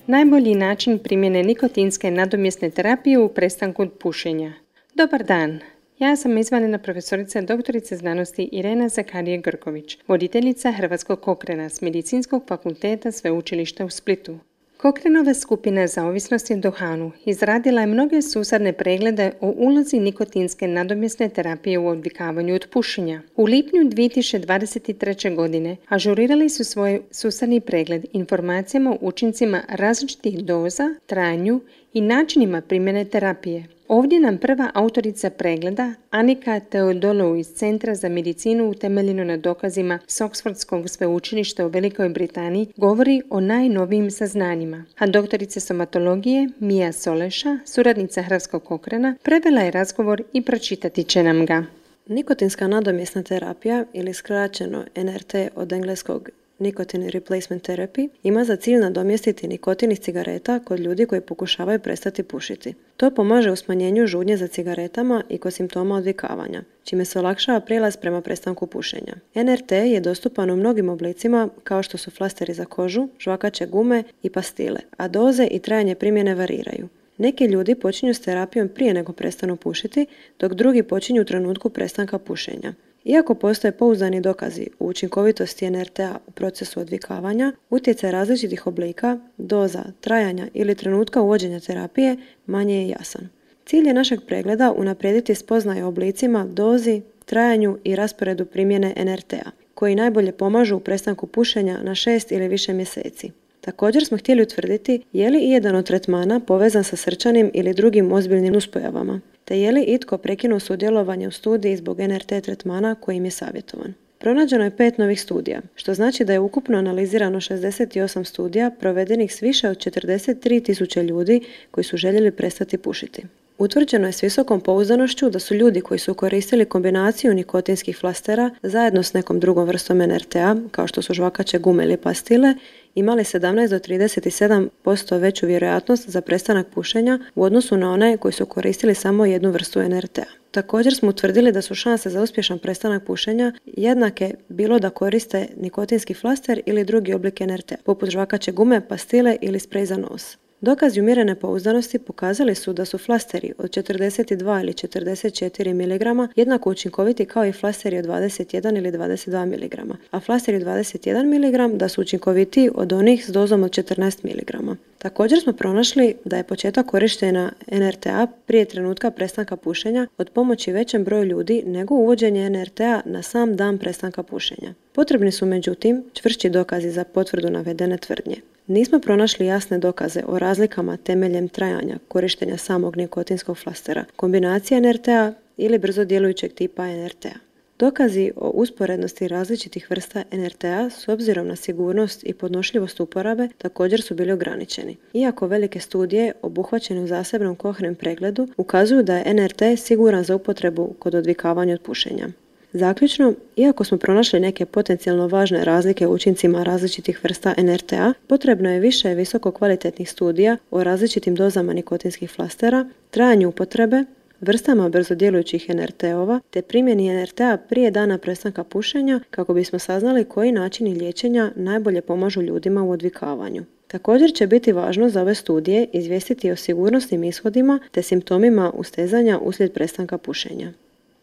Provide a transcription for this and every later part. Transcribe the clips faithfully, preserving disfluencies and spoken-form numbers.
Najbolji način primjene nikotinske nadomjesne terapije u prestanku od pušenja. Dobar dan! Ja sam izvanredna profesorica doktorica znanosti Irena Zakarije-Grković, voditeljica Hrvatskog Cochrana s Medicinskog fakulteta Sveučilišta u Splitu. Cochranova skupina za ovisnosti o duhanu izradila je mnoge susadne preglede o ulozi nikotinske nadomjesne terapije u odvikavanju od pušenja. U lipnju dvije tisuće dvadeset treće. godine ažurirali su svoj susadni pregled informacijama o učincima različitih doza, trajanju i načinima primjene terapije. Ovdje nam prva autorica pregleda, Anika Teodolou iz Centra za medicinu utemeljeno na dokazima s Oxfordskog sveučilišta u Velikoj Britaniji, govori o najnovijim saznanjima. A doktorica somatologije Mia Soleša, suradnica Hrvatskog Cochrana, prevela je razgovor i pročitati će nam ga. Nikotinska nadomjesna terapija, ili skraćeno N R T od engleskog Nicotine Replacement Therapy, ima za cilj nadomjestiti nikotin iz cigareta kod ljudi koji pokušavaju prestati pušiti. To pomaže u smanjenju žudnje za cigaretama i kod simptoma odvikavanja, čime se olakšava prijelaz prema prestanku pušenja. N R T je dostupan u mnogim oblicima kao što su flasteri za kožu, žvakaće gume i pastile, a doze i trajanje primjene variraju. Neki ljudi počinju s terapijom prije nego prestanu pušiti, dok drugi počinju u trenutku prestanka pušenja. Iako postoje pouzdani dokazi u učinkovitosti N R T-a u procesu odvikavanja, utjecaj različitih oblika, doza, trajanja ili trenutka uvođenja terapije manje je jasan. Cilj je našeg pregleda unaprijediti spoznaje o oblicima, dozi, trajanju i rasporedu primjene N R T-a, koji najbolje pomažu u prestanku pušenja na šest ili više mjeseci. Također smo htjeli utvrditi je li ijedan od tretmana povezan sa srčanim ili drugim ozbiljnim nuspojavama, te je li itko prekinuo sudjelovanje u studiji zbog N R T tretmana kojim je savjetovan. Pronađeno je pet novih studija, što znači da je ukupno analizirano šezdeset osam studija provedenih s više od četrdeset tri tisuće ljudi koji su željeli prestati pušiti. Utvrđeno je s visokom pouzdanošću da su ljudi koji su koristili kombinaciju nikotinskih flastera zajedno s nekom drugom vrstom N R T-a, kao što su žvakaće gume ili pastile, imali sedamnaest do trideset sedam posto veću vjerojatnost za prestanak pušenja u odnosu na one koji su koristili samo jednu vrstu N R T-a. Također smo utvrdili da su šanse za uspješan prestanak pušenja jednake bilo da koriste nikotinski flaster ili drugi oblik N R T-a, poput žvakaće gume, pastile ili sprej za nos. Dokazi umjerene pouzdanosti pokazali su da su flasteri od četrdeset dva ili četrdeset četiri miligrama jednako učinkoviti kao i flasteri od dvadeset jedan ili dvadeset dva miligrama, a flasteri od dvadeset jedan miligram da su učinkovitiji od onih s dozom od četrnaest miligrama. Također smo pronašli da je početak korištenja N R T-a prije trenutka prestanka pušenja od pomoći većem broju ljudi nego uvođenje N R T-a na sam dan prestanka pušenja. Potrebni su međutim čvršći dokazi za potvrdu navedene tvrdnje. Nismo pronašli jasne dokaze o razlikama temeljem trajanja korištenja samog nikotinskog flastera, kombinacije N R T-a ili brzo djelujućeg tipa N R T-a. Dokazi o usporednosti različitih vrsta N R T-a s obzirom na sigurnost i podnošljivost uporabe također su bili ograničeni. Iako velike studije obuhvaćene u zasebnom Cochrane pregledu ukazuju da je N R T siguran za upotrebu kod odvikavanja od pušenja. Zaključno, iako smo pronašli neke potencijalno važne razlike u učincima različitih vrsta N R T-a, potrebno je više visoko kvalitetnih studija o različitim dozama nikotinskih flastera, trajanju upotrebe, vrstama brzo djelujućih N R T-ova te primjeni N R T-a prije dana prestanka pušenja kako bismo saznali koji načini liječenja najbolje pomažu ljudima u odvikavanju. Također će biti važno za ove studije izvijestiti o sigurnosnim ishodima te simptomima ustezanja uslijed prestanka pušenja.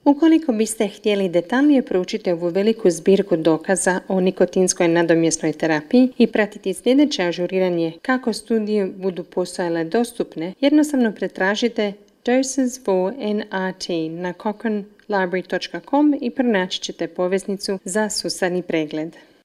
Ukoliko biste htjeli detaljnije proučiti ovu veliku zbirku dokaza o nikotinskoj nadomjesnoj terapiji i pratiti sljedeće ažuriranje kako studije budu postojale dostupne, jednostavno pretražite Doses for N R T na cochrane library dot com i pronaći ćete poveznicu za susadni pregled.